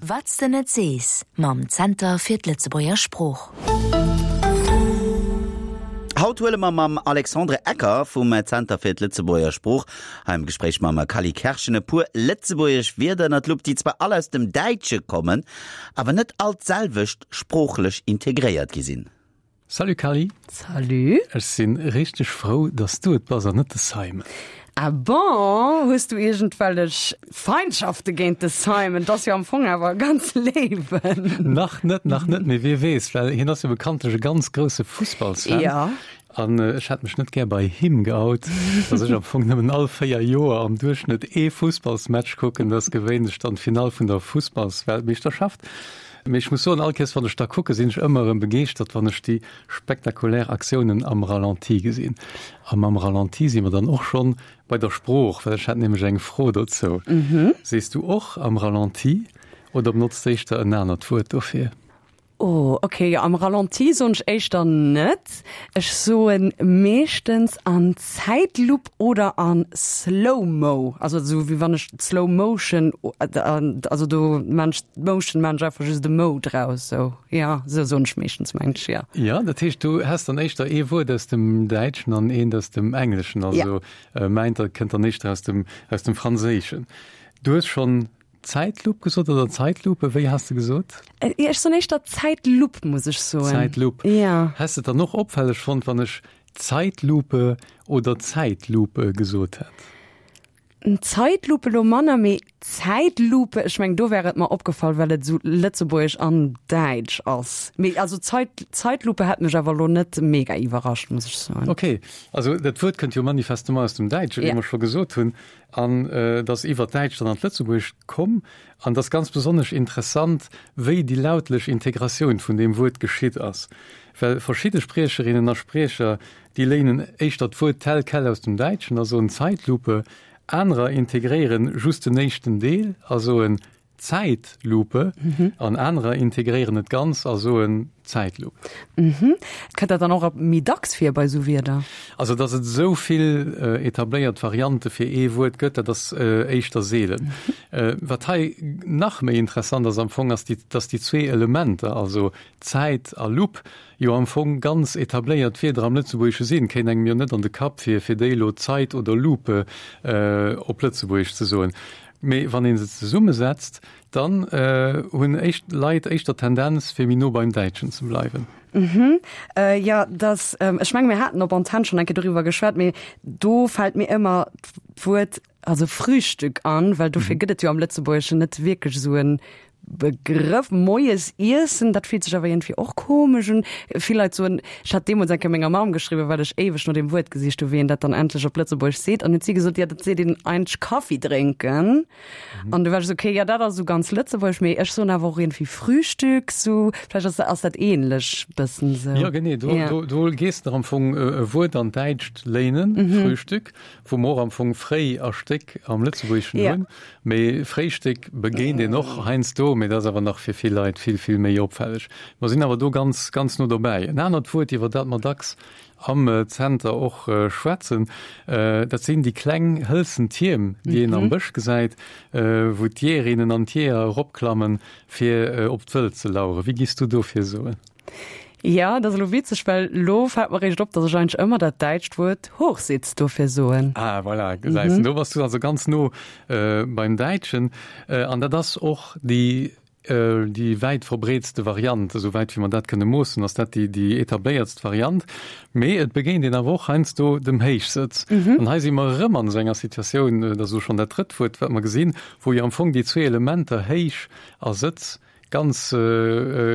Wat s de net sees mam Zenter fir d'Lëtzebuerger Sprooch. Haut huele mer mam Alexandre Ecker vum Zenter fir d'Lëtzebuerger Sprooch hei am Gespréich mam Cally Kerschen e puer lëtzebuergesch Wierder ënner d'Lupp, déi zwar all aus dem Däitsche kommen, awer net all d'selwecht sproochlech integréiert gi sinn. Salut Cally. Salut. Ech sinn richteg frou dass du et bass an net de Simon. Ah bon? Hues du iergendwellech Feindschafte géint de Simon? 't ass jo am Fong awer e ganz Léiwen. Nach net, nach net, mee wie weess, well hien ass jo bekanntlech e ganz grousse Fussballsfan. Ja. An ech hätt mech net gär bei him geout, dass ech am Fong nëmmen all 4 Joer am Duerchschnëtt ee Fussballsmatch kucken, dat ass gewéinlech dann d'Finall vun der Fussballsweltmeeschterschaft. Mee ech muss soen, all Kéiers wann ech da kucke sinn ech ëmmer erëm begeeschtert, wann ech déi spektakulär Aktiounen am Ralenti gesinn. A mam Ralenti si mer dann och schonn bei der Sprooch, well ech hat nämlech eng Fro dozou. Sees du och am Ralenti oder benotzt éischter en anert Wuert dofir? Oh, ok, jo, am Ralenti soen ech éischter net. Ech soen meeschtens an Zäitlupp oder an Slow-Mo, also esou wéi wann ech Slow Motion, also do maan ech Motion maan ech einfach just e Mo draus, sou, jo, sou soen ech meeschtens mengen ech, jo. Jo, dat heescht du häss dann éischter ee Wuert aus dem Däitschen an eent aus dem Engleschen, also mäint kënnt dann éischter aus dem, aus dem Franséischen. Du hues schonn Zäitlupp gesot oder Zeitlupe? Wéi has de gesot? Ech soen éischter Zäitlupp, muss ech soen. Zäitlupp. Ja. Häss de et dann och opfälleg fonnt, wann ech Zeitlupe oder Zäitlupe gesot hätt? Zeitlupe elo manner, mee Zäitlupe, ech mengen, do wär et mer opgefall, well et esou lëtzebuergesch an däitsch ass. Mee also Zeit, Zeitlupe hätt mech awer elo net mega iwwerrascht, muss ech soen. Okay, also dat Wuert kënnt jo manifestement aus dem Däitschen, wéi mer scho gesot hunn. An et ass iwwer d'Däitscht dann an d'Lëtzebuergescht komm. An et ass ganz besonnesch interessant, wéi déi lautlech Integratioun vun deem Wuert geschitt ass. Well verschidde Spriecherinnen a Spriecher, déi léinen éischter d'Wuert tel quel aus dem Däitschen a soen Zeitlupe, anerer integréieren just den éischten Deel a soen Zäitlupe an anerer integréieren et ganz a soen Zäitlupp. Kënnt dat dann och méi dacks vir bei esou Wierder? Also datt et esou vill etabléiert Variante fir ee Wuert gëtt, dat ass éischter seelen. Wat hei nach méi interessant ass am Fong, ass, datt déi zwee Elementer, also Zäit a Lupp, jo am Fong ganz etabléiert Wierder am Lëtzebuergesche sinn. Kéint engem jo net an de Kapp fir, fir déi elo Zait oder Lupe op Lëtzebuergesch ze soen. Mee wann ee se zesummesetzt, dann hunn éischt Leit éischter d'Tendenz, fir méi no beim Däitschen ze bleiwen. Mhm. Jo, dass, ech menge mir haten op Antenn schonn eng Kéier doriwwer geschwat, mee do fält mir ëmmer d'Wuert, also Frühstück an, well dofir gëtt et jo am Lëtzebuergeschen net wierklech esou e Begrëff. Moies iessen, dat fillt sech awer iergendwéi och komesch un. Vill Leit soen, ech hat deemools eng Kéier menger Mamm geschriwwen, well ech éiweg no deem Wuert gesicht hu wéi een dat dann endlech op Lëtzebuergesch seet, an huet si gesot, jo dat seet een eigentlech Kaffi drénken. An du war ech esou, okay, jo dat ass esou ganz lëtzebuergesch, mee ech soen awer och iergendwéi Frühstück, sou vläicht ass ass dat ähnlech bëssen sou. Jo genee, do do do gees de am Fong e Wuert an d'Däitscht léinen, Frühstück, wou mer och am Fong fréi a Stéck am Lëtzebuergeschen hunn. Mee Fréistéck begéint een och heiansdo, mee dat ass awer nach fir vill Leit vill, vill méi opfälleg. Mer sinn awer do ganz, ganz no dobäi. En anert Wuert, iwwer dat mer dacks am Zenter och schwätzen, dat sinn déi kleng hëlzen Tierm, déi een am Bësch gesäit, wou d'Jeeërinnen an d'Jeeër eropklammen, fir op d'Wëld ze laueren. Wéi giss du dofir soen? Jo, dat ass elo witzeg, well elo fält mer eréischt op, datt ech eigentlech ëmmer dat däitscht Wuert Hochsitz dofir soen. Ah, voilà, gesäis de, do bass du also ganz no beim Däitschen. An dat ass och déi, déi wäit verbreetste Variant, esou wäit wéi mer dat kënne moossen, ass dat déi, déi etabléiertst Variant. Mee et begéint een awer och heiansdo dem Héichsëtz. An hei si mer erëm an esou enger Situatioun, dat ass elo schonn dat drëtt Wuert, wat mer gesinn, wou jo am Fong déi zwee Elementer Héich a Sëtz ganz,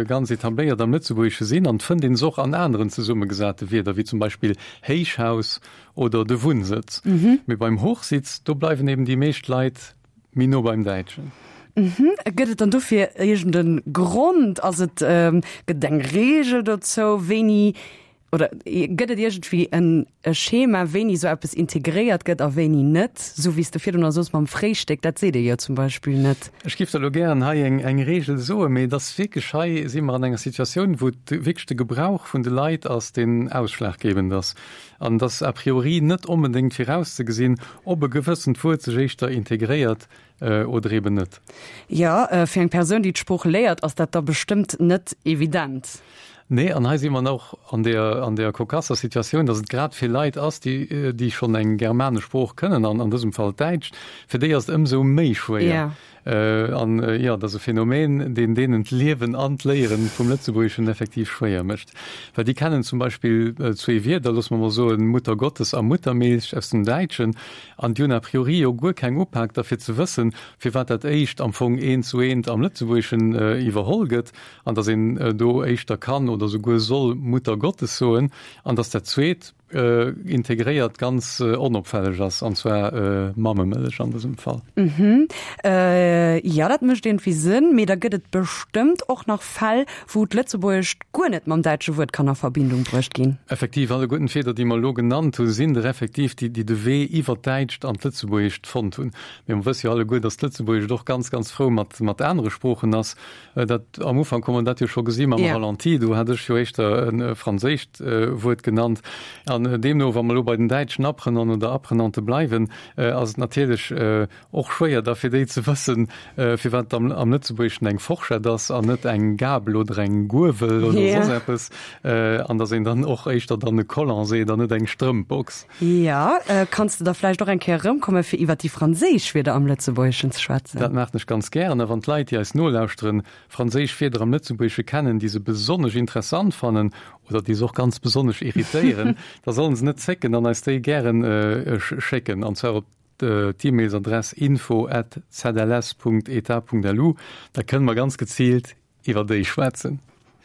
ganz etabléiert am Lëtzebuergesche sinn an fënnt een se och an aneren zesummegesate Wierder, wéi zum Beispill Héichhaus oder de Wunnsëtz. Mee beim Hochsitz, do bleiwen eben déi meescht Leit méi no beim Däitschen. Gëtt et dann dofir iergend e Grond? Ass et, gëtt et eng Reegel dozou, wéini? Oder gëtt et iergendwéi en e Schema, wéini esou eppes integréiert gëtt a wéini net? Esou wéi s de virdrun soos mam Fréistéck, dat seet ee jo zum Beispill net. Ech géif der elo gären hei eng eng Reegel soen, mee et ass wierklech, hei si mer an enger Situatioun, wou et wierklech de Gebrauch vun de Leit ass, deen ausschlaggebend ass. An et ass a priori net onbedéngt virauszegesinn, ob e gewëssent Wuert sech éischter integréiert oder eben net. Jo, fir eng Persoun, déi d'Sprooch léiert, ass dat da bestëmmt net evident. Nee, an hei si mer och an deer, an deer kokasser Situatioun, datt et grad fir Leit ass, déi, déi schonn eng germanesch Sprooch kënnen, an an dësem Fall d'Däitscht, fir déi ass et ëmsou méi schwéier. An, jo, et ass e Phänomen, deen deenen d'Liewen an d'Léiere vum Lëtzebuergeschen effektiv schwéier mécht. Well déi kennen zum Beispill zwee Wierder, loosse mer mol soen, Muttergottes a Muttermilch aus dem Däitschen, an déi hunn a priori jo guer keng Upak derfir ze wëssen, firwat dat éischt am Fong eent zu eent am Lëtzebuergeschen iwwerholl gëtt. an dass een do éischter kann oder souguer soll Mutter Gottes soen, an dass dat zweet integréiert ganz onopfälleg ass, an zwar Mammemëllech an dësem Fall. Mhm. Jo, dat mécht iergendwéi Sënn, mee da gëtt et bestëmmt och nach Fäll, wou d'Lëtzebuergescht guer net mam däitsche Wuert kann a Verbindung bruecht ginn. Effektiv, alleguerten d'Wierder, déi mer elo genannt hunn, sinn der effektiv, déi déi de Wee iwwer d'Däitscht an d'Lëtzebuergescht fonnt hunn. Mee mer wësse jo alleguer, dass d'Lëtzebuergescht och ganz, ganz frou mat mat anere Sproochen ass. Dat am Ufank hu mer dat jo scho gesi mam Ralenti, do hat ech jo éischter e franséischt Wuert genannt. An deemno, wa mer elo bei den däitschen Apprenanten oder Apprenante bleiwen, ass et natierlech och schwéier da fir déi ze wëssen, firwat et am Lëtzebuergeschen eng Forschett ass an net eng Gabel oder eng Guewel oder soss eppes, an datt een dann och éischter dann e Collant seet an net eng Strëmpbox. Jo, kanns de da vläicht och eng Kéier erëmkommen, fir iwwer déi franséisch Wierder am Lëtzebuergeschen ze schwätzen? Dat maachen ech ganz gären. A wann d'Leit, déi eis nolauschteren, franséisch Wierder am Lëtzebuergesche kennen, déi se besonnesch interessant fannen oder déi se och ganz besonnesch irritéieren, da sollen se net zécken an eis déi gären schécken, an zwar op d'E-Mailsadress info at zls.etat.lu. Da kënne mer ganz geziilt iwwer déi schwätzen.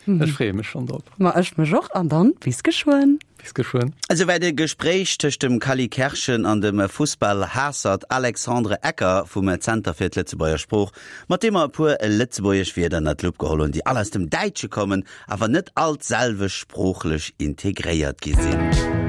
Ech freeë mech schonn drop. Ma ech mech och an dann bis geschwënn. Bis geschwënn. Esouwäit e Gespréich tëscht dem Cally Kerschen an dem Fussball-Haassert Alexandre Ecker vum Zenter fir d'Lëtzebuerger Sprooch, mat deem mer e puer lëtzebuergesch Wierder ënner d'Lupp geholl hunn, déi all aus dem Däitsche kommen, awer net all d'selwecht sproochlech integréiert gi sinn.